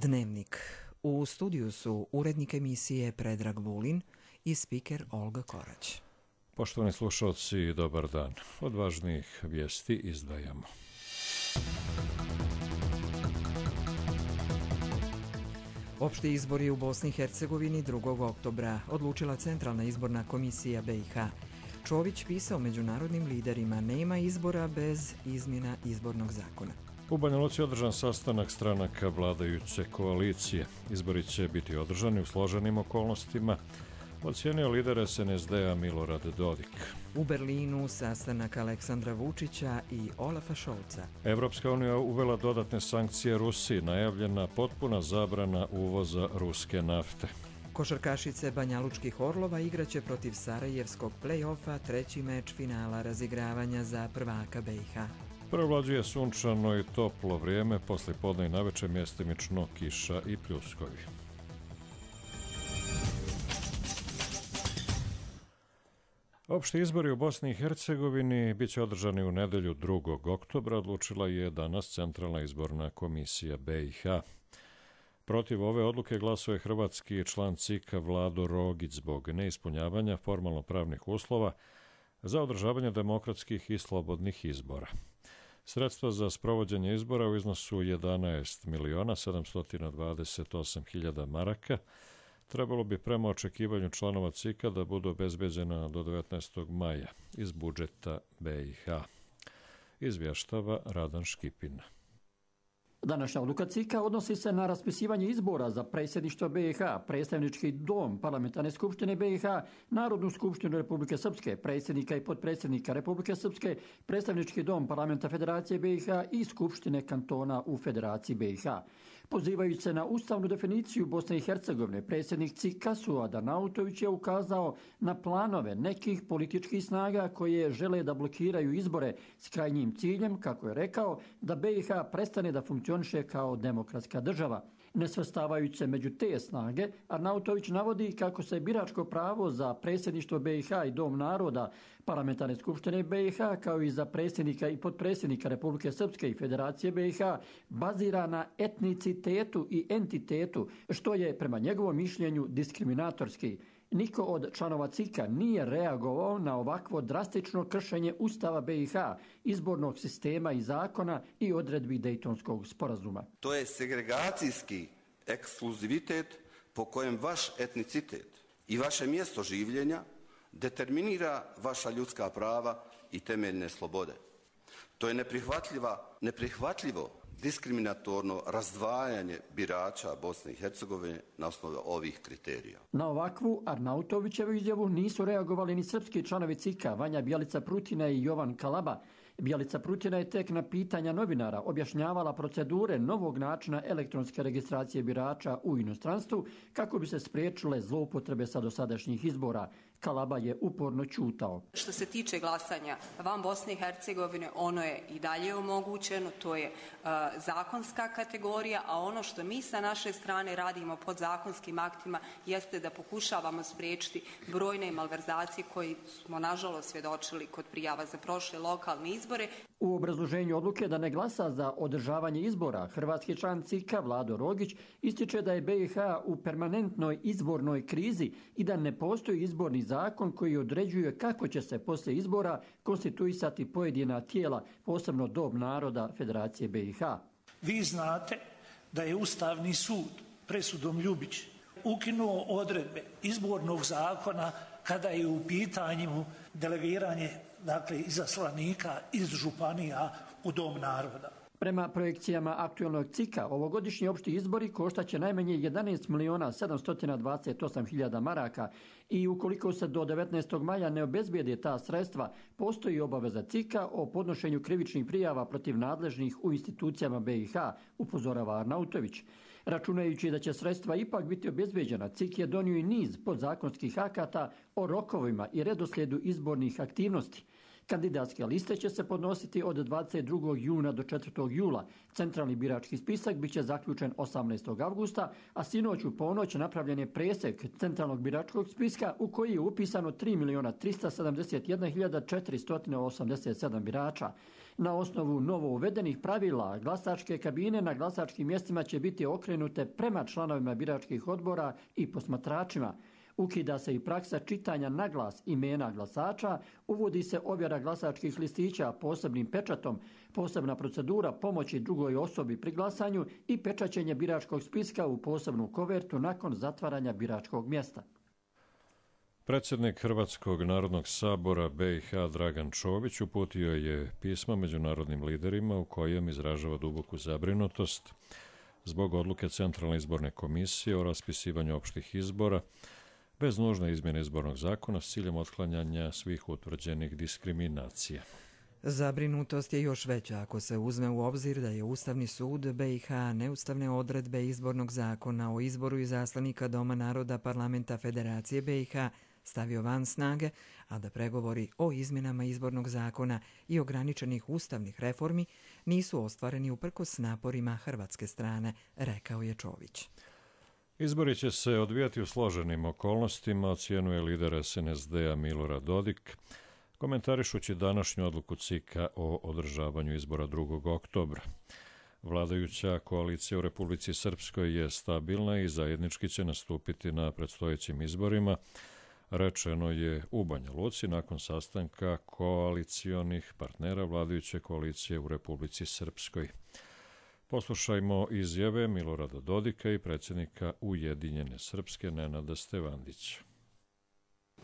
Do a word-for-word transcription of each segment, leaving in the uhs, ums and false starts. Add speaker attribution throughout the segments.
Speaker 1: Dnevnik. U studiju su urednik emisije Predrag Vulin i spiker Olga Korać.
Speaker 2: Poštovani slušalci, dobar dan. Od važnijih vijesti izdvajamo.
Speaker 1: Opšti izbori u Bosni i Hercegovini drugog oktobra odlučila Centralna izborna komisija B i H. Čović pisao međunarodnim liderima: nema izbora bez izmjena izbornog zakona.
Speaker 2: U Banja Luci je održan sastanak stranaka vladajuće koalicije. Izbori će biti održani u složenim okolnostima, ocijenio lider S N S D-a Milorad Dodik.
Speaker 1: U Berlinu sastanak Aleksandra Vučića i Olafa Šolca.
Speaker 2: Evropska unija uvela dodatne sankcije Rusiji, najavljena potpuna zabrana uvoza ruske nafte.
Speaker 1: Košarkašice Banjalučkih Orlova igraće protiv Sarajevskog play-offa treći meč finala razigravanja za prvaka B i H.
Speaker 2: Prevlađuje sunčano i toplo vrijeme, posle podne i naveče mjestimično kiša i pljuskovi. Opšti izbori u Bosni i Hercegovini bit će održani u nedelju drugog oktobra, odlučila je danas Centralna izborna komisija B i H. Protiv ove odluke glasuje je hrvatski član C I K-a Vlado Rogić zbog neispunjavanja formalno pravnih uslova za održavanje demokratskih i slobodnih izbora. Sredstva za sprovođenje izbora u iznosu jedanaest miliona sedamsto dvadeset osam hiljada maraka trebalo bi prema očekivanju članova C I K-a da budu obezbeđena do devetnaestog maja iz budžeta B i H. Izvještava Radan Škipin.
Speaker 3: Današnja odluka C I K-a odnosi se na raspisivanje izbora za predsjedništvo B i H, predstavnički dom Parlamentarne skupštine B i H, Narodnu skupštinu Republike Srpske, predsjednika i potpredsjednika Republike Srpske, predstavnički dom Parlamenta Federacije B i H i Skupštine kantona u Federaciji B i H. Pozivajući se na ustavnu definiciju Bosne i Hercegovine, predsjednik C I K-a Suad Arnautović je ukazao na planove nekih političkih snaga koje žele da blokiraju izbore s krajnjim ciljem, kako je rekao, da B i H prestane da funkcioniše kao demokratska država. Ne svrstavajući se među te snage, Arnautović navodi kako se biračko pravo za predsjedništvo B i H i Dom naroda Parlamentarne skupštine B i H, kao i za predsjednika i potpredsjednika Republike Srpske i Federacije B i H, bazira na etnicitetu i entitetu, što je prema njegovom mišljenju diskriminatorski. Niko od članova C I K-a nije reagovao na ovakvo drastično kršenje Ustava B i H, izbornog sistema i zakona i odredbi Dejtonskog sporazuma.
Speaker 4: To je segregacijski ekskluzivitet po kojem vaš etnicitet i vaše mjesto življenja determinira vaša ljudska prava i temeljne slobode. To je neprihvatljiva, neprihvatljivo diskriminatorno razdvajanje birača Bosne i Hercegovine na osnovu ovih kriterija.
Speaker 3: Na ovakvu Arnautovićevu izjavu nisu reagovali ni srpski članovi C I K-a, Vanja Bjelica Prutina i Jovan Kalaba. Bjelica Prutina je tek na pitanja novinara objašnjavala procedure novog načina elektronske registracije birača u inostranstvu kako bi se spriječile zloupotrebe sa dosadašnjih izbora. Kalaba je uporno ćutao.
Speaker 5: Što se tiče glasanja van Bosne i Hercegovine, ono je i dalje omogućeno, to je uh, zakonska kategorija, a ono što mi sa naše strane radimo pod zakonskim aktima jeste da pokušavamo spriječiti brojne malverzacije koji smo nažalost svjedočili kod prijava za prošle lokalne izbore.
Speaker 3: U obrazloženju odluke da ne glasa za održavanje izbora, hrvatski član C I K-a Vlado Rogić ističe da je B i H u permanentnoj izbornoj krizi i da ne postoji izborni zakon koji određuje kako će se poslije izbora konstituisati pojedina tijela, posebno Dom naroda Federacije B i H.
Speaker 6: Vi znate da je Ustavni sud presudom Ljubić ukinuo odredbe izbornog zakona kada je u pitanju delegiranje, dakle, izaslanika iz županija u Dom naroda.
Speaker 3: Prema projekcijama aktualnog C I K-a, ovogodišnji opšti izbori koštaće najmanje jedanaest miliona sedamsto dvadeset osam hiljada maraka i ukoliko se do devetnaestog maja ne obezbijede ta sredstva, postoji obaveza C I K-a o podnošenju krivičnih prijava protiv nadležnih u institucijama B i H, upozorava Arnautović. Računajući da će sredstva ipak biti obezbeđena, C I K je donio i niz podzakonskih akata o rokovima i redoslijedu izbornih aktivnosti. Kandidatske liste će se podnositi od dvadeset drugog juna do četvrtog jula. Centralni birački spisak bit će zaključen osamnaestog avgusta, a sinoć u ponoć napravljen je presek centralnog biračkog spiska u koji je upisano tri miliona trista sedamdeset jedna hiljada četiristo osamdeset sedam birača. Na osnovu novo uvedenih pravila, glasačke kabine na glasačkim mjestima će biti okrenute prema članovima biračkih odbora i posmatračima. Ukida se i praksa čitanja na glas imena glasača, uvodi se ovjera glasačkih listića posebnim pečatom, posebna procedura pomoći drugoj osobi pri glasanju i pečaćenje biračkog spiska u posebnu kovertu nakon zatvaranja biračkog mjesta.
Speaker 2: Predsjednik Hrvatskog narodnog sabora be i ha Dragan Čović uputio je pismo međunarodnim liderima u kojem izražava duboku zabrinutost zbog odluke Centralne izborne komisije o raspisivanju opštih izbora bez nužne izmjene izbornog zakona s ciljem otklanjanja svih utvrđenih diskriminacija.
Speaker 1: Zabrinutost je još veća ako se uzme u obzir da je Ustavni sud be i ha neustavne odredbe izbornog zakona o izboru izaslanika Doma naroda Parlamenta Federacije be i ha stavio van snage, a da pregovori o izmjenama izbornog zakona i ograničenih ustavnih reformi nisu ostvareni uprkos naporima hrvatske strane, rekao je Čović.
Speaker 2: Izbori će se odvijati u složenim okolnostima, ocjenjuje lider es en es de a Milorad Dodik, komentarišući današnju odluku ce i ka o održavanju izbora drugog oktobra. Vladajuća koalicija u Republici Srpskoj je stabilna i zajednički će nastupiti na predstojećim izborima, rečeno je u Banja Luci nakon sastanka koalicionih partnera vladajuće koalicije u Republici Srpskoj. Poslušajmo izjave Milorada Dodika i predsjednika Ujedinjene Srpske Nenada Stevandića.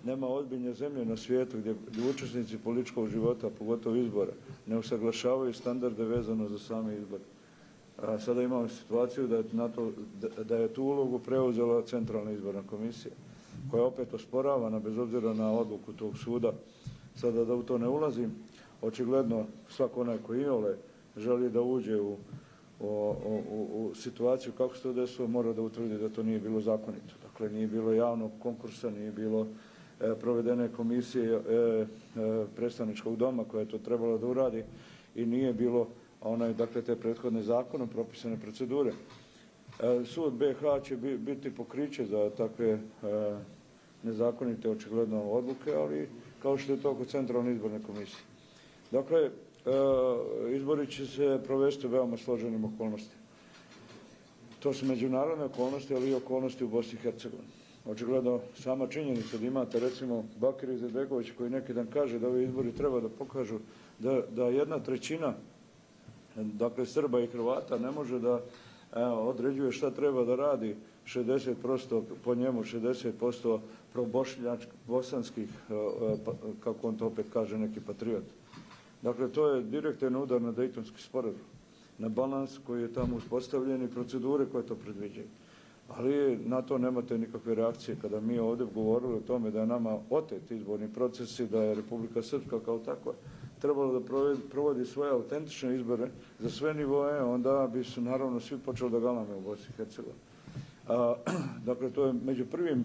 Speaker 7: Nema ozbiljne zemlje na svijetu gdje učesnici političkog života, pogotovo izbora, ne usaglašavaju standarde vezano za same izbore. A sada imamo situaciju da je, na to, da je tu ulogu preuzela Centralna izborna komisija, koja je opet osporavana bez obzira na odluku tog suda. Sada da u to ne ulazim, očigledno svako onaj koji iole želi da uđe u, u, u, u situaciju kako se to desilo, mora da utvrdi da to nije bilo zakonito. Dakle, nije bilo javnog konkursa, nije bilo e, provedene komisije e, e, predstavničkog doma koja je to trebalo da uradi i nije bilo onaj, dakle, te prethodne zakonom propisane procedure. E, sud be i ha će bi, biti pokriće za takve e, nezakonite očigledno odluke, ali kao što je to kod Centralne izborne komisije. Dakle, e, izbori će se provesti u veoma složenim okolnostima. To su međunarodne okolnosti, ali i okolnosti u Bosni i Hercegovini. Očigledno sama činjenica da imate recimo Bakira Izetbegovića koji neki dan kaže da ovi izbori treba da pokažu da, da jedna trećina dakle Srba i Hrvata ne može da evo, određuje šta treba da radi šezdeset posto po njemu, šezdeset posto pro-bosanskih, kako on to opet kaže, neki patriot. Dakle, to je direktan udar na Dejtonski sporazum, na balans koji je tamo uspostavljen i procedure koje to predviđaju. Ali na to nemate nikakve reakcije. Kada mi ovdje govorili o tome da je nama otet izborni procesi, da je Republika Srpska kao takva trebalo da provodi svoje autentične izbore za sve nivoe, onda bi su naravno svi počeli da galame u Bosni i Hercegovini. Dakle, to je među prvim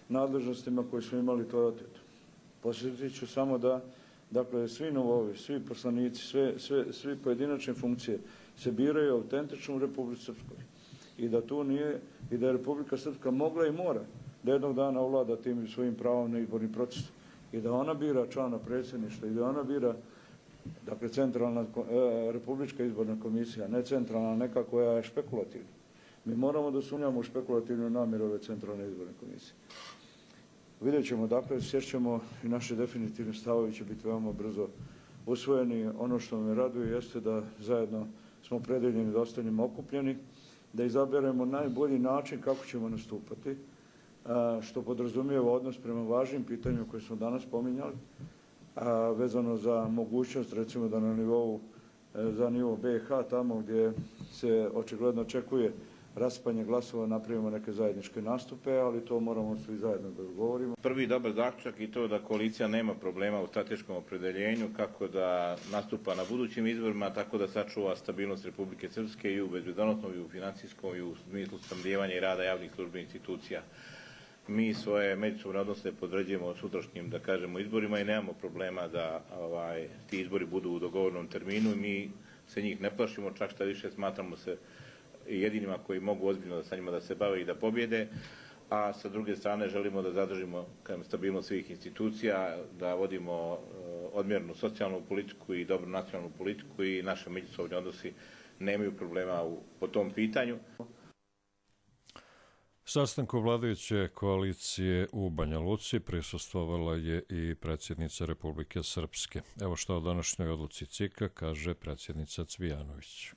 Speaker 7: nadležnostima koje smo imali, to je oteto. Posjetit ću samo da dakle, svi novovi, svi poslanici, sve, sve, svi pojedinačne funkcije se biraju autentično u Republici Srpskoj. I da tu nije, i da je Republika Srpska mogla i mora da jednog dana ovlada tim svojim pravom na izborni proces. I da ona bira člana predsjedništva i da ona bira, dakle, centralna e, Republička izborna komisija, ne centralna neka koja je špekulativna. Mi moramo da sumnjamo u špekulativnu namjeru ove centralne izborne komisije. Vidjet ćemo, dakle, sjećamo i naše definitivne stavovi će biti veoma brzo usvojeni. Ono što me raduje jeste da zajedno smo predeljeni da ostanemo okupljeni, da izaberemo najbolji način kako ćemo nastupati, što podrazumijeva odnos prema važnim pitanjima koje smo danas spominjali, vezano za mogućnost, recimo da na nivou, za nivo be i ha, tamo gdje se očigledno očekuje raspanje glasova, napravimo neke zajedničke nastupe, ali to moramo svi zajedno da govorimo.
Speaker 8: Prvi dobar zaključak i to da koalicija nema problema u strateškom opredeljenju, kako da nastupa na budućim izborima, tako da sačuva stabilnost Republike Srpske i u bezbednosnom, i u financijskom, i u smislu snabdijevanja i rada javnih službi institucija. Mi svoje međusobne odnose podređujemo sutrašnjim, da kažemo, izborima i nemamo problema da ovaj, ti izbori budu u dogovornom terminu i mi se njih ne plašimo, čak šta više smatramo se jedinima koji mogu ozbiljno sa njima da se bave i da pobjede, a sa druge strane želimo da zadržimo stabilnost svih institucija, da vodimo odmjernu socijalnu politiku i dobru nacionalnu politiku i naše međusobne odnosi nemaju problema u, po tom pitanju.
Speaker 2: Sastanku vladajuće koalicije u Banja Luci prisustvovala je i predsjednica Republike Srpske. Evo što o današnjoj odluci C I K-a kaže predsjednica Cvijanović.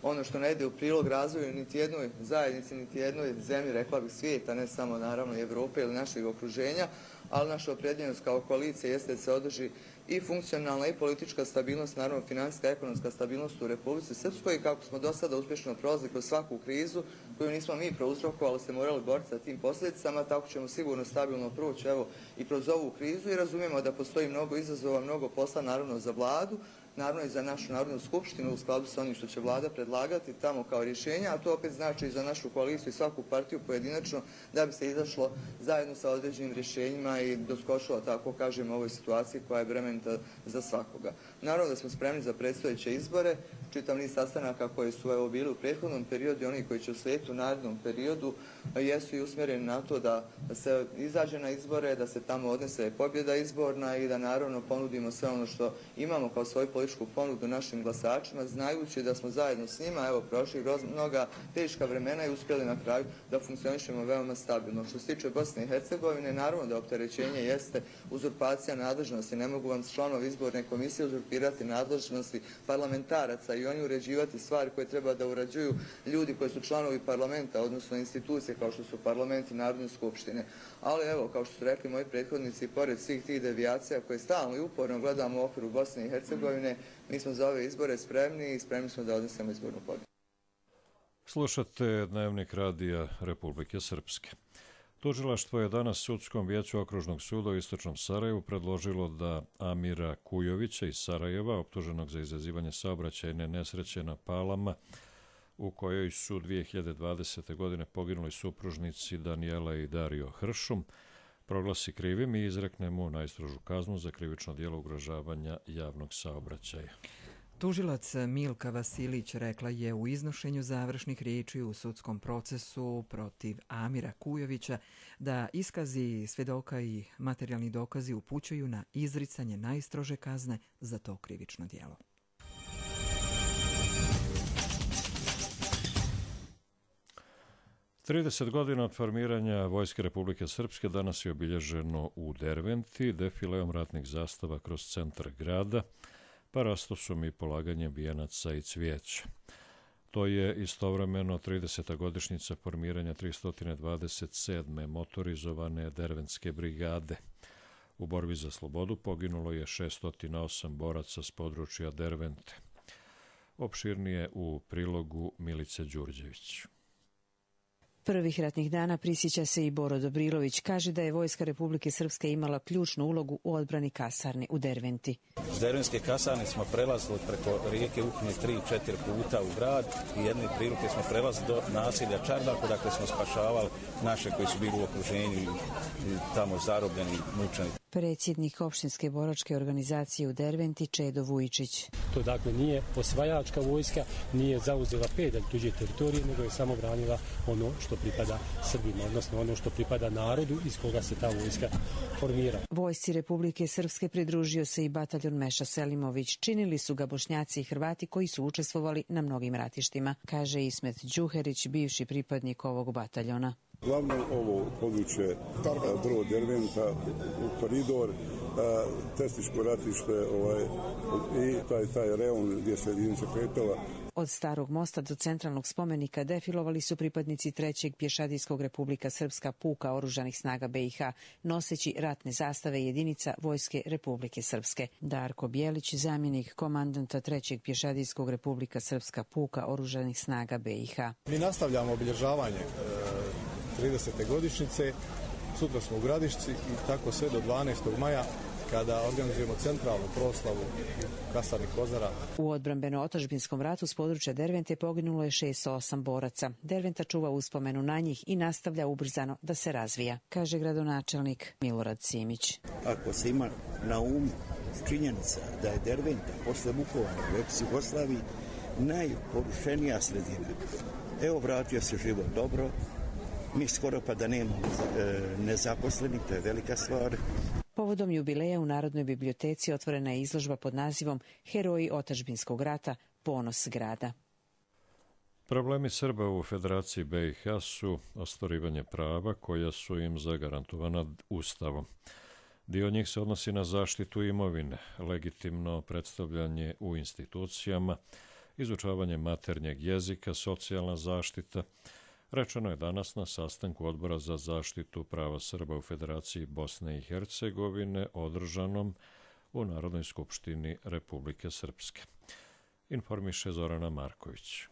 Speaker 9: Ono što ne ide u prilog razvoju niti jednoj zajednici, niti jednoj zemlji, rekla bih svijeta, ne samo naravno Evrope ili našeg okruženja, ali naša opredijeljenost kao koalicija jeste da se održi i funkcionalna i politička stabilnost, naravno financijska i ekonomska stabilnost u Republici Srpskoj i kako smo do sada uspješno prolazili kroz svaku krizu koju nismo mi prouzrokovali, se morali boriti sa tim posljedicama, tako ćemo sigurno stabilno proći evo i kroz ovu krizu i razumijemo da postoji mnogo izazova, mnogo posla naravno za vladu, naravno i za našu Narodnu skupštinu u skladu sa onim što će vlada predlagati tamo kao rješenja, a to opet znači i za našu koaliciju i svaku partiju pojedinačno da bi se izašlo zajedno sa određenim rješenjima i doskočilo, tako kažem, ovoj situaciji koja je bremenita za svakoga. Naravno da smo spremni za predstojeće izbore, čitav niz sastanaka koji su evo bili u prethodnom periodu i oni koji će uslijediti u narednom periodu jesu i usmjereni na to da se izađe na izbore, da se tamo odnese pobjeda izborna i da naravno ponudimo sve ono što imamo kao svoju političku ponudu našim glasačima, znajući da smo zajedno s njima evo prošli mnoga teška vremena i uspjeli na kraju da funkcionišemo veoma stabilno. Što se tiče Bosne i Hercegovine, naravno da opterećenje jeste uzurpacija nadležnosti. Ne mogu vam članovi izborne komisije uzurpirati nadležnosti parlamentaraca i oni uređivati stvari koje treba da urađuju ljudi koji su članovi parlamenta, odnosno institucije kao što su parlament i Narodne skupštine. Ali evo, kao što su rekli moji prethodnici, pored svih tih devijacija koje stalno i uporno gledamo u okviru Bosne i Hercegovine, mi smo za ove izbore spremni i spremni smo da odnesemo izbornu pobjedu.
Speaker 2: Slušate Dnevnik radija Republike Srpske. Tužilaštvo je danas Sudskom vijeću Okružnog suda u Istočnom Sarajevu predložilo da Amira Kujovića iz Sarajeva, optuženog za izazivanje saobraćajne nesreće na Palama, u kojoj su dvije hiljade dvadesete. godine poginuli supružnici Danijela i Dario Hršum, proglasi krivim i izrekne mu najstrožu kaznu za krivično djelo ugrožavanja javnog saobraćaja.
Speaker 1: Tužilac Milka Vasilić rekla je u iznošenju završnih riječi u sudskom procesu protiv Amira Kujovića da iskazi svjedoka i materijalni dokazi upućuju na izricanje najstrože kazne za to krivično djelo.
Speaker 2: trideset godina od formiranja Vojske Republike Srpske danas je obilježeno u Derventi defileom ratnih zastava kroz centar grada, pa rastosom i polaganjem vijenaca i cvijeća. To je istovremeno trideseta godišnjica formiranja tristo dvadeset sedme motorizovane Derventske brigade. U borbi za slobodu poginulo je šesto osam boraca s područja Dervente. Opširnije u prilogu Milice Đurđević.
Speaker 10: Prvih ratnih dana prisjeća se i Boro Dobrilović. Kaže da je Vojska Republike Srpske imala ključnu ulogu u odbrani kasarne u Derventi.
Speaker 11: S Derventske kasarne smo prelazili preko rijeke Uknje tri, četiri puta u grad i jedne prilike smo prelazili do naselja Čardako, dakle smo spašavali naše koji su bili u okruženju i tamo zarobljeni, mučeni.
Speaker 10: Predsjednik opštinske boračke organizacije u Derventi Čedo Vujičić.
Speaker 12: To dakle nije osvajačka vojska, nije zauzela pedalj tuđe teritorije, nego je samo branila ono što pripada Srbima, odnosno ono što pripada narodu iz koga se ta vojska formira.
Speaker 10: Vojsci Republike Srpske pridružio se i bataljon Meša Selimović. Činili su ga Bošnjaci i Hrvati koji su učestvovali na mnogim ratištima, kaže Ismet Đuherić, bivši pripadnik ovog bataljona.
Speaker 13: Glavno ovo područje Drvo Derventa, koridor, Testiško ratište ovaj, i taj, taj reon gdje se jedinica kretala.
Speaker 10: Od Starog mosta do centralnog spomenika defilovali su pripadnici trećeg pješadijskog Republika Srpska puka oružanih snaga B i H, noseći ratne zastave jedinica Vojske Republike Srpske. Darko Bjelić, zamjenik komandanta trećeg pješadijskog Republika Srpska puka oružanih snaga B i H.
Speaker 14: Mi nastavljamo obilježavanje tridesete godišnjice, sutra smo u Gradišci i tako sve do dvanaestog maja kada organizujemo centralnu proslavu Kasarni Kozara.
Speaker 10: U odbrambeno-otadžbinskom ratu s područja Dervente poginulo je šezdeset osam boraca. Derventa čuva uspomenu na njih i nastavlja ubrzano da se razvija, kaže gradonačelnik Milorad Simić.
Speaker 15: Ako se ima na umu činjenica da je Derventa posle Vukovara u ex-Jugoslaviji najporušenija sredina. Evo, vratio se život dobro, mi skoro pa da nemamo e, nezaposlenih, to je velika stvar.
Speaker 10: Povodom jubileja u Narodnoj biblioteci otvorena je izložba pod nazivom Heroji otadžbinskog rata, ponos grada.
Speaker 2: Problemi Srba u Federaciji B i H su ostvarivanje prava koja su im zagarantovana Ustavom. Dio njih se odnosi na zaštitu imovine, legitimno predstavljanje u institucijama, izučavanje maternjeg jezika, socijalna zaštita. Rečeno je danas na sastanku Odbora za zaštitu prava Srba u Federaciji Bosne i Hercegovine održanom u Narodnoj skupštini Republike Srpske. Informiše Zorana Marković.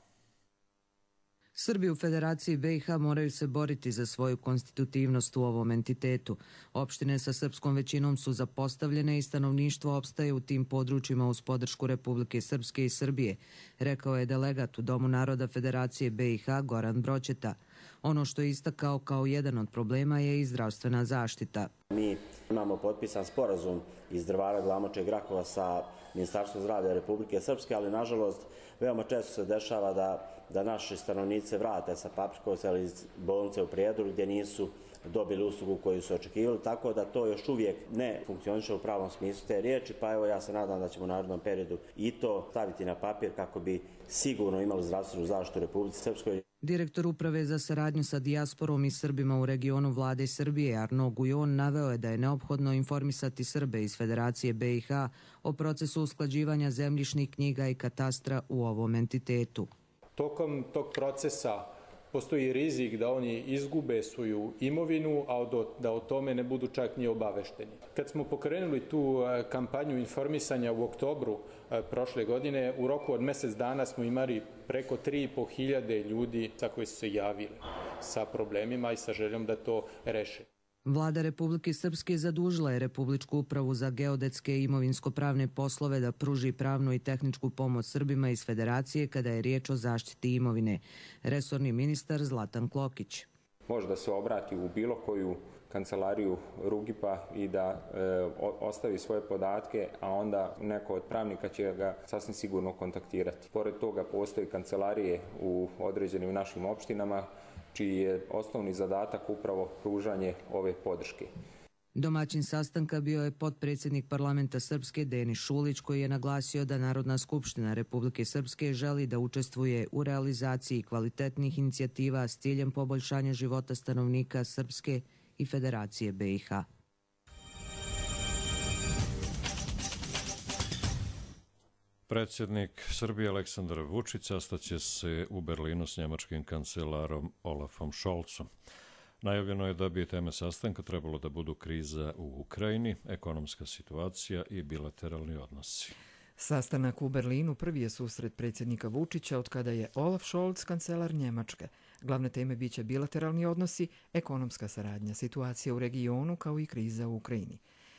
Speaker 16: Srbi u Federaciji B i H moraju se boriti za svoju konstitutivnost u ovom entitetu. Opštine sa srpskom većinom su zapostavljene i stanovništvo opstaje u tim područjima uz podršku Republike Srpske i Srbije, rekao je delegat u Domu naroda Federacije B i H Goran Broćeta. Ono što je istakao kao jedan od problema je i zdravstvena zaštita.
Speaker 17: Mi imamo potpisan sporazum iz Drvara, Glamoča i Grakova sa Ministarstvom zdravlja Republike Srpske, ali nažalost veoma često se dešava da, da naši stanovnici vrate sa Paprikovca ili iz bolnice u Prijedoru gdje nisu dobili uslugu koju su očekivali, tako da to još uvijek ne funkcioniše u pravom smislu te riječi, pa evo ja se nadam da ćemo u narednom periodu i to staviti na papir kako bi sigurno imali zdravstvenu zaštitu u Republici Srpskoj.
Speaker 16: Direktor Uprave za saradnju sa dijasporom i Srbima u regionu Vlade Srbije Arno Gujon naveo je da je neophodno informisati Srbe iz Federacije B i H o procesu usklađivanja zemljišnih knjiga i katastra u ovom entitetu.
Speaker 18: Tokom tog procesa postoji rizik da oni izgube svoju imovinu, a da o tome ne budu čak ni obavešteni. Kad smo pokrenuli tu kampanju informisanja u oktobru prošle godine, u roku od mjesec dana smo imali preko tri i po hiljade ljudi sa koji su se javili sa problemima i sa željom da to reše.
Speaker 16: Vlada Republike Srpske zadužila je Republičku upravu za geodetske i imovinsko-pravne poslove da pruži pravnu i tehničku pomoć Srbima iz Federacije kada je riječ o zaštiti imovine. Resorni ministar Zlatan Klokić.
Speaker 19: Može da se obrati u bilo koju kancelariju Rugipa i da e, ostavi svoje podatke, a onda neko od pravnika će ga sasvim sigurno kontaktirati. Pored toga postoji kancelarije u određenim našim opštinama čiji je osnovni zadatak upravo pružanje ove podrške.
Speaker 16: Domaćin sastanka bio je potpredsjednik parlamenta Srpske Denis Šulić, koji je naglasio da Narodna skupština Republike Srpske želi da učestvuje u realizaciji kvalitetnih inicijativa s ciljem poboljšanja života stanovnika Srpske i Federacije B i H.
Speaker 2: Predsjednik Srbije Aleksandar Vučić sastaće se u Berlinu s njemačkim kancelarom Olafom Scholzom. Najavljeno je da bi teme sastanka trebalo da budu kriza u Ukrajini, ekonomska situacija i bilateralni odnosi.
Speaker 1: Sastanak u Berlinu prvi je susret predsjednika Vučića od kada je Olaf Scholz kancelar Njemačke. Glavne teme biće bilateralni odnosi, ekonomska saradnja, situacija u regionu kao i kriza u Ukrajini.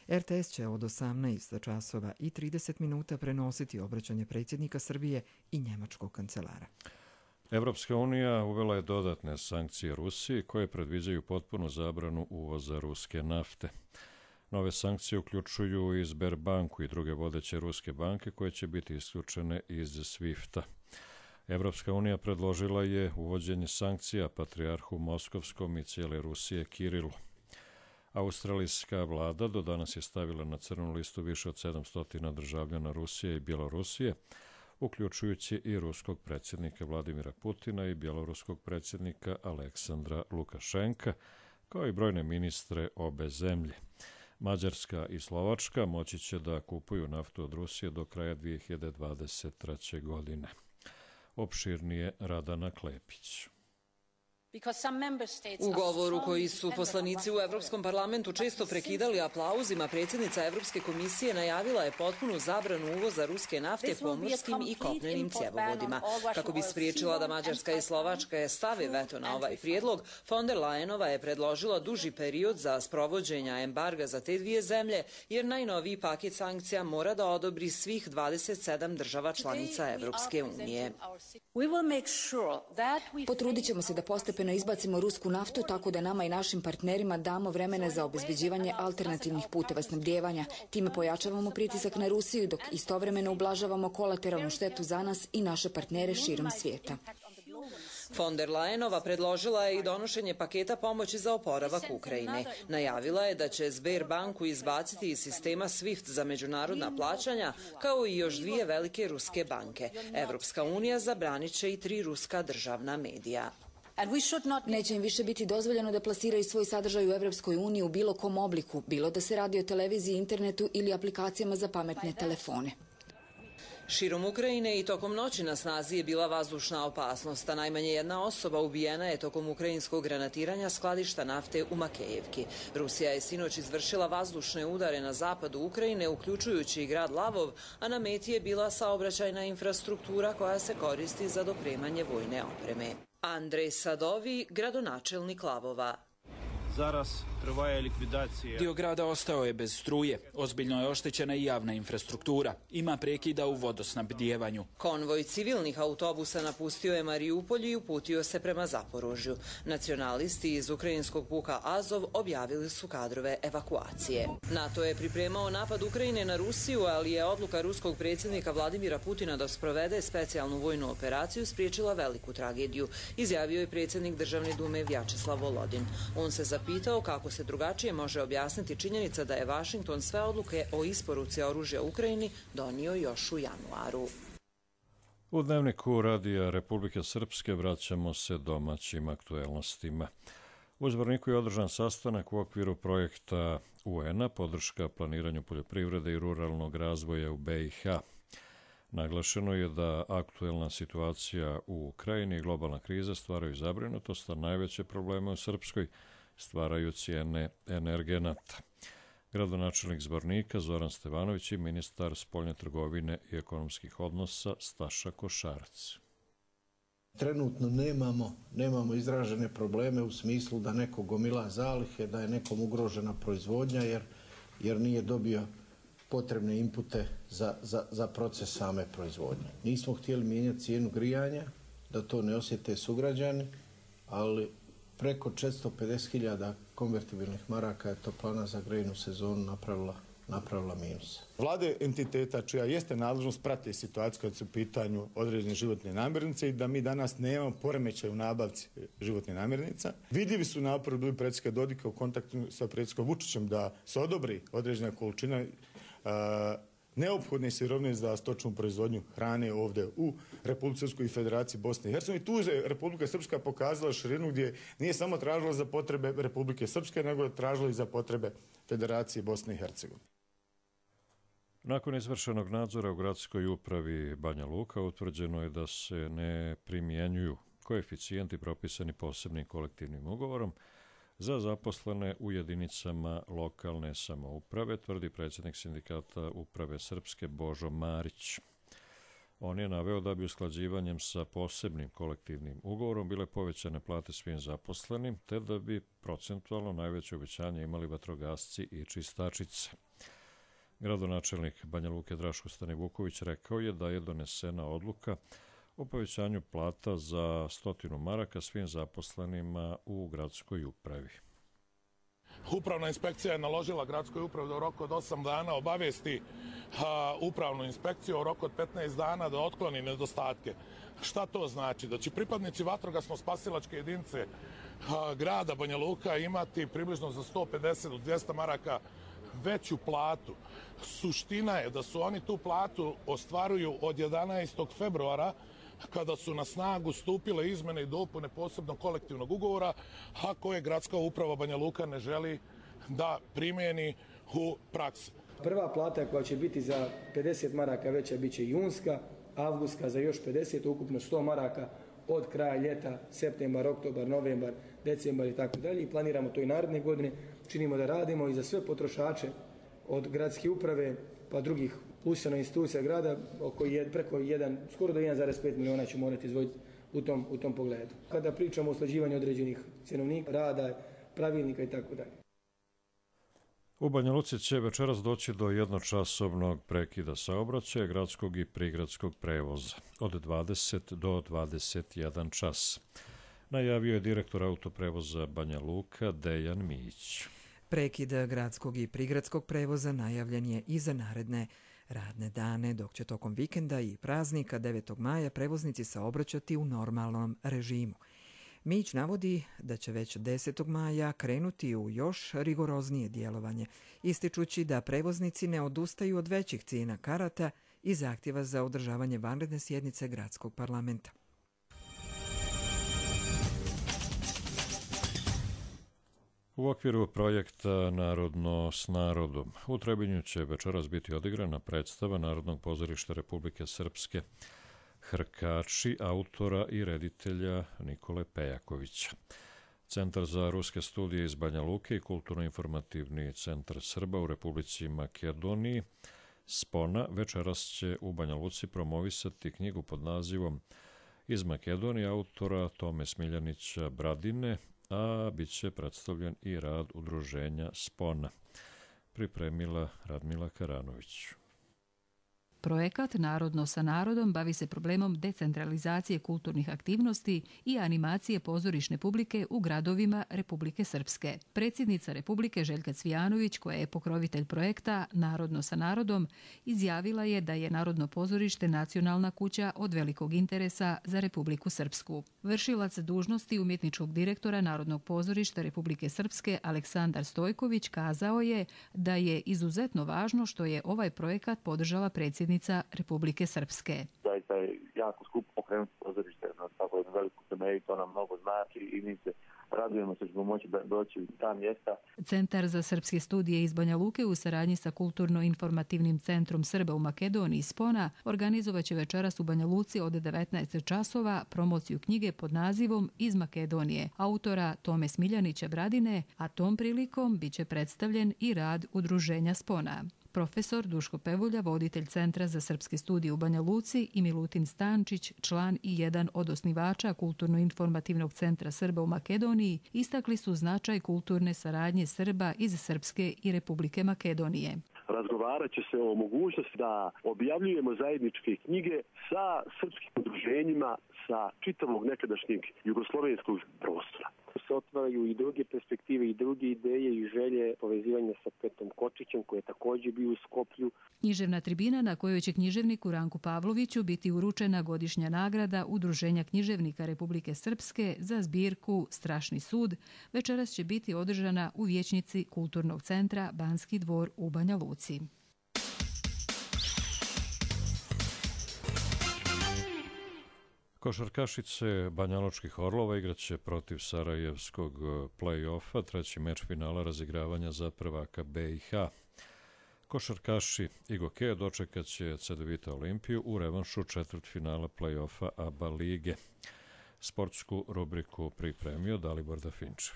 Speaker 1: R T S će od osamnaest časova i trideset minuta prenositi obraćanje predsjednika Srbije i njemačkog kancelara.
Speaker 2: Evropska unija uvela je dodatne sankcije Rusiji koje predviđaju potpunu zabranu uvoza ruske nafte. Nove sankcije uključuju i Sberbanku i druge vodeće ruske banke koje će biti isključene iz Swifta. Evropska unija predložila je uvođenje sankcija patrijarhu Moskovskom i cijele Rusije Kirilu. Australijska vlada do danas je stavila na crnu listu više od sedamsto državljana Rusije i Bjelorusije, uključujući i ruskog predsjednika Vladimira Putina i bjeloruskog predsjednika Aleksandra Lukašenka, kao i brojne ministre obe zemlje. Mađarska i Slovačka moći će da kupuju naftu od Rusije do kraja dvije hiljade dvadeset treće. godine. Opširnije Radana Klepić.
Speaker 20: U govoru koji su poslanici u Evropskom parlamentu često prekidali aplauzima, predsjednica Evropske komisije najavila je potpunu zabranu uvoza ruske nafte pomorskim i kopnenim cjevovodima. Kako bi spriječila da Mađarska i Slovačka stave veto na ovaj prijedlog, von der Leyenova je predložila duži period za sprovođenja embarga za te dvije zemlje, jer najnoviji paket sankcija mora da odobri svih dvadeset sedam država članica Evropske unije.
Speaker 21: Potrudit ćemo se da postepeno izbacimo rusku naftu tako da nama i našim partnerima damo vremena za obezbeđivanje alternativnih puteva snabdijevanja. Time pojačavamo pritisak na Rusiju dok istovremeno ublažavamo kolateralnu štetu za nas i naše partnere širom svijeta.
Speaker 20: Von der Leyenova predložila je i donošenje paketa pomoći za oporavak Ukrajine. Najavila je da će Sberbanku izbaciti iz sistema SWIFT za međunarodna plaćanja, kao i još dvije velike ruske banke. Evropska unija zabranit će i tri ruska državna medija.
Speaker 21: Neće im više biti dozvoljeno da plasiraju svoj sadržaj u Evropskoj uniji u bilo kom obliku, bilo da se radi o televiziji, internetu ili aplikacijama za pametne telefone.
Speaker 20: Širom Ukrajine i tokom noći na snazi je bila vazdušna opasnost, a najmanje jedna osoba ubijena je tokom ukrajinskog granatiranja skladišta nafte u Makejevki. Rusija je sinoć izvršila vazdušne udare na zapadu Ukrajine, uključujući i grad Lavov, a na meti je bila saobraćajna infrastruktura koja se koristi za dopremanje vojne opreme. Andrej Sadovi, gradonačelnik Lavova.
Speaker 22: Dio grada ostao je bez struje, ozbiljno je oštećena i javna infrastruktura. Ima prekida u vodosnabdijevanju.
Speaker 20: Konvoj civilnih autobusa napustio je Mariupolj i uputio se prema Zaporožju. Nacionalisti iz ukrajinskog puka Azov objavili su kadrove evakuacije. NATO je pripremao napad Ukrajine na Rusiju, ali je odluka ruskog predsjednika Vladimira Putina da sprovede specijalnu vojnu operaciju spriječila veliku tragediju, izjavio je predsjednik Državne dume Vjačeslav Volodin. On se zapitao kako se drugačije može objasniti činjenica da je Vašington sve odluke o isporuci oružja Ukrajini donio još u januaru.
Speaker 2: U dnevniku Radija Republike Srpske vraćamo se domaćim aktuelnostima. U Zvorniku je održan sastanak u okviru projekta U N-a podrška planiranju poljoprivrede i ruralnog razvoja u B i H. Naglašeno je da aktuelna situacija u Ukrajini i globalna kriza stvaraju zabrinutost, a najveće probleme u Srpskoj stvaraju cijene energenata. Gradonačelnik Zvornika Zoran Stevanović i ministar spoljne trgovine i ekonomskih odnosa Staša Košarac.
Speaker 23: Trenutno nemamo, nemamo izražene probleme u smislu da neko gomila zalihe, da je nekom ugrožena proizvodnja jer, jer nije dobio potrebne inpute za, za, za proces same proizvodnje. Nismo htjeli mijenjati cijenu grijanja, da to ne osjete sugrađani, ali preko četiristo pedeset hiljada konvertibilnih maraka je toplana za grejnu sezonu napravila, napravila minus.
Speaker 24: Vlade entiteta čija jeste nadležnost prate situaciju kad su u pitanju određene životne namirnice i da mi danas nemamo poremećaj u nabavci životnih namirnica. Vidljivi su napori bili predsjednika Dodika u kontaktu sa predsjednikom Vučićem da se odobri određena količina uh, neophodne sirovine za stočnu proizvodnju hrane ovdje u Republici Srpskoj i Federaciji Bosne i Hercegovine. Tu je Republika Srpska pokazala širinu gdje nije samo tražila za potrebe Republike Srpske, nego je tražila i za potrebe Federacije Bosne i Hercegovine.
Speaker 2: Nakon izvršenog nadzora u gradskoj upravi Banja Luka utvrđeno je da se ne primjenjuju koeficijenti propisani posebnim kolektivnim ugovorom za zaposlene u jedinicama lokalne samouprave, tvrdi predsjednik sindikata Uprave Srpske Božo Marić. On je naveo da bi usklađivanjem sa posebnim kolektivnim ugovorom bile povećane plate svim zaposlenim, te da bi procentualno najveće uvećanje imali vatrogasci i čistačice. Gradonačelnik Banja Luke Draško Stanivuković rekao je da je donesena odluka o povećanju plata za stotinu maraka svim zaposlenima u gradskoj upravi.
Speaker 25: Upravna inspekcija je naložila gradskoj upravi da u roku od osam dana obavijesti a, upravnu inspekciju u roku od petnaest dana da otkloni nedostatke. Šta to znači? Da će pripadnici vatrogasno-spasilačke jedinice a, grada Banja Luka imati približno za sto pedeset do dvjesto maraka veću platu. Suština je da su oni tu platu ostvaruju od jedanaestog februara kada su na snagu stupile izmene i dopune posebnog kolektivnog ugovora, a koje gradska uprava Banja Luka ne želi da primjeni u praksi.
Speaker 26: Prva plata koja će biti za pedeset maraka veća bit će junska, avgustka za još pedeset, ukupno sto maraka od kraja ljeta, septembar, oktobar, novembar, decembar i tako dalje. I planiramo to i naredne godine. Činimo da radimo i za sve potrošače od gradske uprave pa drugih ustanova institucija grada oko je, preko jedan, skoro do jedan zarez pet miliona će morati izdvojiti u tom, u tom pogledu. Kada pričamo o usklađivanju određenih cjenovnika, rada, pravilnika i tako dalje.
Speaker 2: U Banja Luci će večeras doći do jednočasovnog prekida saobraćaja gradskog i prigradskog prevoza od dvadeset do dvadeset jedan čas. Najavio je direktor autoprevoza Banja Luka Dejan Mijić.
Speaker 1: Prekid gradskog i prigradskog prevoza najavljen je i za naredne radne dane, dok će tokom vikenda i praznika devetog maja prevoznici saobraćati u normalnom režimu. Mijić navodi da će već desetog maja krenuti u još rigoroznije djelovanje, ističući da prevoznici ne odustaju od većih cijena karata i zahtjeva za održavanje vanredne sjednice gradskog parlamenta.
Speaker 2: U okviru projekta Narodno s narodom u Trebinju će večeras biti odigrana predstava Narodnog pozorišta Republike Srpske Hrkači autora i reditelja Nikole Pejakovića. Centar za ruske studije iz Banja Luke i Kulturno-informativni centar Srba u Republici Makedoniji Spona večeras će u Banja Luci promovisati knjigu pod nazivom Iz Makedonije autora Tome Smiljanića Bradine, a bit će predstavljen i rad udruženja Spona. Pripremila Radmila Karanović.
Speaker 3: Projekat Narodno sa narodom bavi se problemom decentralizacije kulturnih aktivnosti i animacije pozorišne publike u gradovima Republike Srpske. Predsjednica Republike Željka Cvijanović, koja je pokrovitelj projekta Narodno sa narodom, izjavila je da je Narodno pozorište nacionalna kuća od velikog interesa za Republiku Srpsku. Vršilac dužnosti umjetničkog direktora Narodnog pozorišta Republike Srpske Aleksandar Stojković kazao je da je izuzetno važno što je ovaj projekat podržala predsjednica Republike Srpske.
Speaker 4: Zaista je jako skupo pokrenuti pozorište na tako jednu veliku temelju, to nam mnogo znači i mi se radujemo se što ćemo moći da doći u ta mjesta.
Speaker 3: Centar za srpske studije iz Banja Luke u saradnji sa Kulturno-informativnim centrom Srba u Makedoniji Spona organizovaće večeras u Banja Luci od devetnaest časova promociju knjige pod nazivom Iz Makedonije autora Tome Smiljanića Bradine, a tom prilikom biće predstavljen i rad udruženja Spona. Profesor Duško Pevulja, voditelj Centra za srpske studije u Banja Luci, i Milutin Stančić, član i jedan od osnivača Kulturno-informativnog centra Srba u Makedoniji, istakli su značaj kulturne saradnje Srba iz Srpske i Republike Makedonije.
Speaker 5: Razgovarat će se o mogućnosti da objavljujemo zajedničke knjige sa srpskim udruženjima sa čitavog nekadašnjeg jugoslovenskog prostora.
Speaker 6: Se otvaraju i druge perspektive i druge ideje i želje povezivanja sa Petom Kočićem, koji je također bio u Skoplju.
Speaker 3: Književna tribina na kojoj će književniku Ranku Pavloviću biti uručena godišnja nagrada Udruženja književnika Republike Srpske za zbirku Strašni sud večeras će biti održana u vijećnici Kulturnog centra Banski dvor u Banja Luci.
Speaker 2: Košarkašice Banjalučkih Orlova igraće protiv Sarajevskog play-offa, treći meč finala razigravanja za prvaka B i H. Košarkaši Igokeja dočekat će Cedevita Olimpiju u revanšu četvrtfinala play-offa A B A lige. Sportsku rubriku pripremio Dalibor Dafinčev.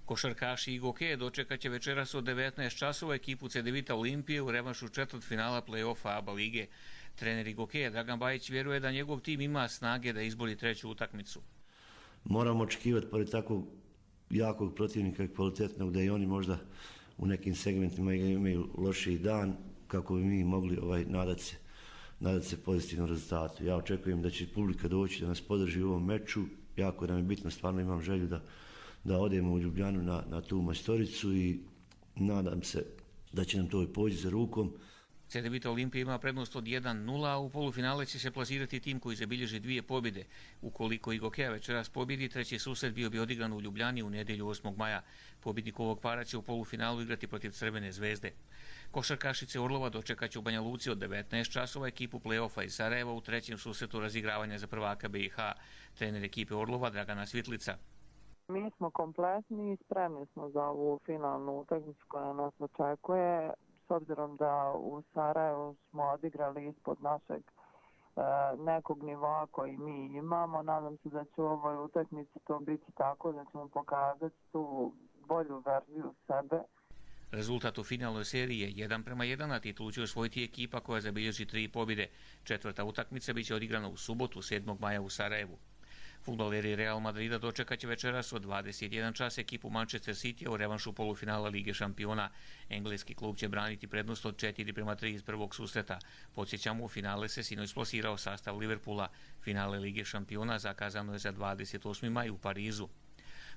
Speaker 7: Košarkaši Igokeja dočekat će večeras od devetnaest časova ekipu Cedevita Olimpije u revanšu četvrtfinala play-offa A B A lige. Trener Igokeja Dragan Bajić vjeruje da njegov tim ima snage da izbori treću utakmicu.
Speaker 8: Moramo očekivati pored takvog jakog protivnika i kvalitetnog da i oni možda u nekim segmentima imaju lošiji dan kako bi mi mogli ovaj, nadati se, nadati se pozitivnom rezultatu. Ja očekujem da će publika doći da nas podrži u ovom meču. Jako nam je bitno, stvarno imam želju da, da odemo u Ljubljanu na, na tu majstoricu i nadam se da će nam to poći za rukom.
Speaker 7: Cedevita Olimpija ima prednost od jedan nula, a u polufinale će se plasirati tim koji zabilježi dvije pobjede. Ukoliko Igokeja večeras pobjedi, treći susret bio bi odigran u Ljubljani u nedjelju osmog maja. Pobjednik ovog para će u polufinalu igrati protiv Crvene zvezde. Košarkašice Orlova dočekaće u Banja Luci od devetnaest časova ekipu play-offa iz Sarajeva u trećem susretu razigravanja za prvaka B i H. Trener ekipe Orlova Dragana Svitlica.
Speaker 27: Mi smo kompletni i spremni smo za ovu finalnu utakmicu koja nas očekuje. S obzirom da u Sarajevu smo odigrali ispod našeg nekog nivoa koji mi imamo. Nadam se da će u ovoj utakmici to biti tako, da ćemo pokazati tu bolju verziju sebe.
Speaker 7: Rezultat u finalnoj seriji je jedan prema jedan, a titulu će osvojiti ekipa koja zabilježi tri pobjede. Četvrta utakmica biće odigrana u subotu, sedmog maja u Sarajevu. Fudbaleri Real Madrida dočekat će večeras od dvadeset jedan čas ekipu Manchester City u revanšu polufinala Lige šampiona. Engleski klub će braniti prednost od četiri prema tri iz prvog susreta. Podsjećamo, u finale se sinoć plasirao sastav Liverpoola. Finale Lige šampiona zakazano je za dvadeset osmi maj u Parizu.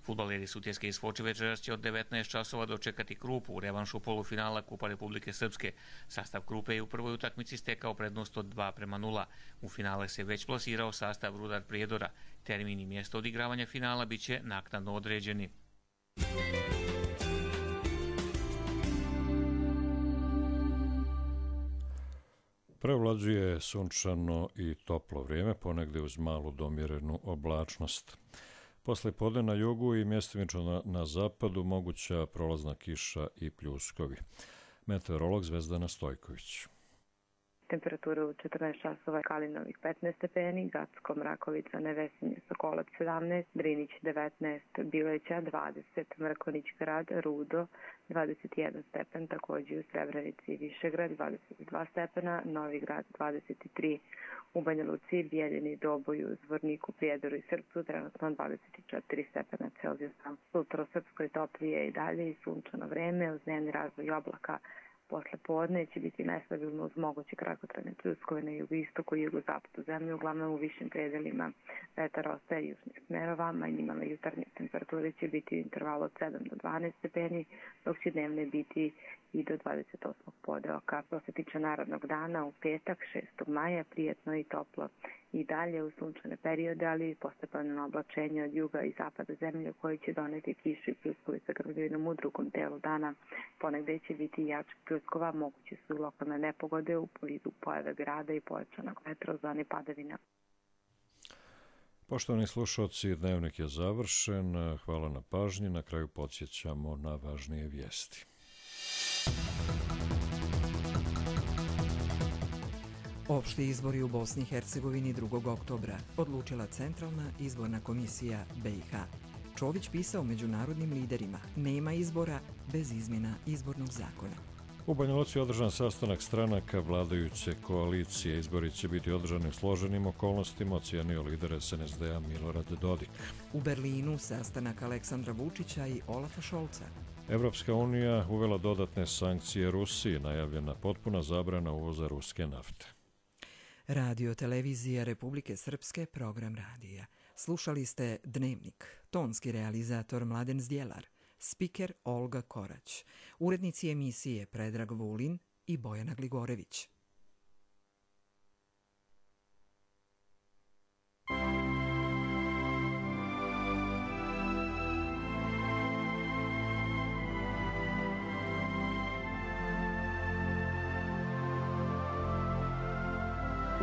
Speaker 7: Fudbaleri Sutjeske iz Foče večeras će od devetnaest časova dočekati Krupu u revanšu polufinala Kupa Republike Srpske. Sastav Krupe je u prvoj utakmici stekao prednost od dva prema nula. U finale se već plasirao sastav Rudar Prijedora. Termin i mjesto odigravanja finala bit će naknadno određeni.
Speaker 2: Prevlađuje sunčano i toplo vrijeme, ponegde uz malu domjerenu oblačnost. Posle podne na jugu i mjestimično na, na zapadu moguća prolazna kiša i pljuskovi. Meteorolog Zvezdana Stojković.
Speaker 9: Temperatura u četrnaest časova Kalinovih petnaest stepeni, Gacko, Mrakovica, Nevesinje, Sokolac sedamnaest, Drinić devetnaest, Bileća dvadeset, Mrkonić grad, Rudo dvadeset jedan stepen, također u Srebrenici i Višegrad dvadeset dva stepena, Novi grad dvadeset tri, u Banja Luci, Bijeljini, Doboju, Zvorniku, Prijedoru i Srpcu trenutno dvadeset četiri stepena Celzijusa. Sutra u Srpskoj toplije i dalje i sunčano vreme uz dnevni razvoj oblaka. Posle podne će biti nestabilno uz moguće kratkotrajne pljuskove na jugoistoku i jugozapadu zemlje, uglavnom u višim predelima. Vetar ostaje južnih smerova, minimalne jutarnje temperature će biti u intervalu od sedam do dvanaest stepeni, dok će dnevne biti i do dvadeset osmog podeoka. Što se tiče narednog dana, u petak šestog maja, prijetno i toplo. I dalje u sunčane periode, ali postepeno oblačenje od juga i zapada zemlje koji će doneti kišu i pljuskovi sa grmljavinom u drugom delu dana. Ponegde će biti jačih pljuskova, moguće su lokalne nepogode u vidu pojave grada i pojačanog vetra u zoni padavina.
Speaker 2: Poštovani slušalci, dnevnik je završen. Hvala na pažnji. Na kraju podsjećamo na važnije vijesti.
Speaker 1: Opšti izbori u Bosni i Hercegovini drugog oktobra odlučila Centralna izborna komisija B i H. Čović pisao međunarodnim liderima: nema izbora bez izmjena izbornog zakona.
Speaker 2: U Banja Luci je održan sastanak stranaka vladajuće koalicije. Izbori će biti održani u složenim okolnostima, ocijenio lider S N S D-a Milorad Dodik.
Speaker 1: U Berlinu sastanak Aleksandra Vučića i Olafa Šolca.
Speaker 2: Evropska unija uvela dodatne sankcije Rusiji, najavljena potpuna zabrana uvoza ruske nafte.
Speaker 1: Radio Televizija Republike Srpske, program radija. Slušali ste Dnevnik, tonski realizator Mladen Zdjelar, spiker Olga Korać, urednici emisije Predrag Vulin i Bojana Gligorević.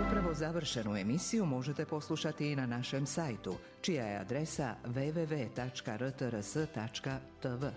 Speaker 10: Upravo završenu emisiju možete poslušati i na našem sajtu, čija je adresa w w w tačka r t r s tačka t v.